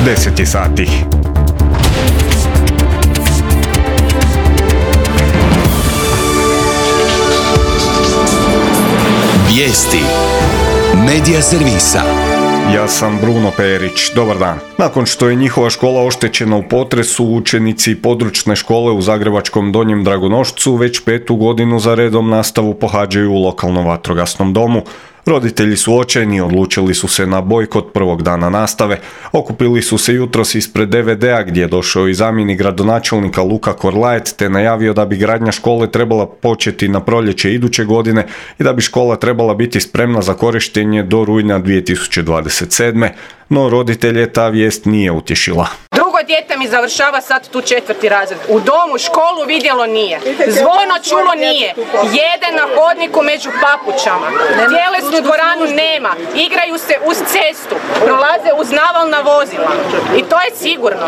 10 sati. Vijesti Medija servisa. Ja sam Bruno Perić, dobar dan. Nakon što je njihova škola oštećena u potresu, učenici područne škole u zagrebačkom Donjem Dragonošcu već 5. godinu za redom nastavu pohađaju u lokalnom vatrogasnom domu. Roditelji su očajni, odlučili su se na bojkot prvog dana nastave. Okupili su se jutros ispred DVD-a gdje je došao i zamjenik gradonačelnika Luka Korlaet te najavio da bi gradnja škole trebala početi na proljeće iduće godine i da bi škola trebala biti spremna za korištenje do rujna 2027. No roditelje ta vijest nije utješila. Drugo dijete mi završava sad tu 4. razred. U domu školu vidjelo nije. Zvono čulo nije. Jede na hodniku među papučama. Tjelesnu dvoranu nema. Igraju se uz cestu. Prolaze uz navalna vozila. I to je sigurno.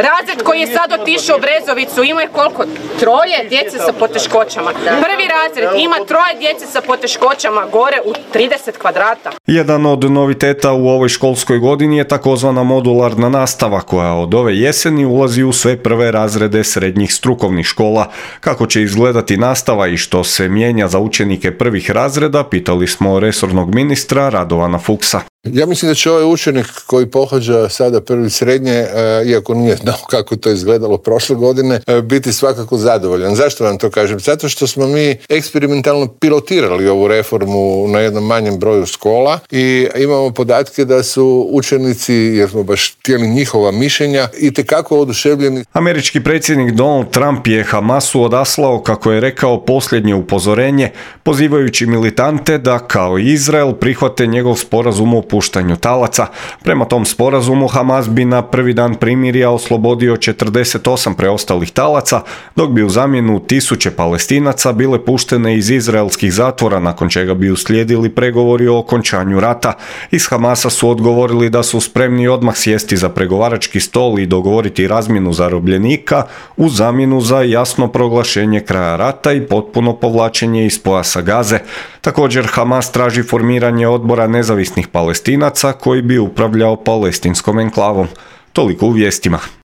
Razred koji je sad otišao u Brezovicu ima koliko? 3 djece sa poteškoćama. Prvi razred ima 3 djece sa poteškoćama gore u 30 kvadrata. Jedan od noviteta u ovoj školskoj godini je takozvana modularna nastava koja od ove jeseni ulazi u sve prve razrede srednjih strukovnih škola. Kako će izgledati nastava i što se mijenja za učenike prvih razreda, pitali smo resornog ministra Radovana Fuchsa. Ja mislim da će ovaj učenik koji pohađa sada prvi srednje, iako nije znao kako to izgledalo prošle godine, biti svakako zadovoljan. Zašto vam to kažem? Zato što smo mi eksperimentalno pilotirali ovu reformu na jednom manjem broju škola i imamo podatke da su učenici, jer smo baš htjeli njihova mišljenja, itekako oduševljeni. Američki predsjednik Donald Trump je Hamasu odaslao, kako je rekao, posljednje upozorenje, pozivajući militante da kao i Izrael prihvate njegov sporazum o puštanju talaca. Prema tom sporazumu Hamas bi na prvi dan primirja oslobodio 48 preostalih talaca, dok bi u zamjenu 1000 Palestinaca bile puštene iz izraelskih zatvora, nakon čega bi uslijedili pregovori o okončanju rata. Iz Hamasa su odgovorili da su spremni odmah sjesti za pregovarački stol i dogovoriti razmjenu zarobljenika u zamjenu za jasno proglašenje kraja rata i potpuno povlačenje iz pojasa Gaze. Također Hamas traži formiranje odbora nezavisnih Palestinaca koji bi upravljao palestinskom enklavom. Toliko u vijestima.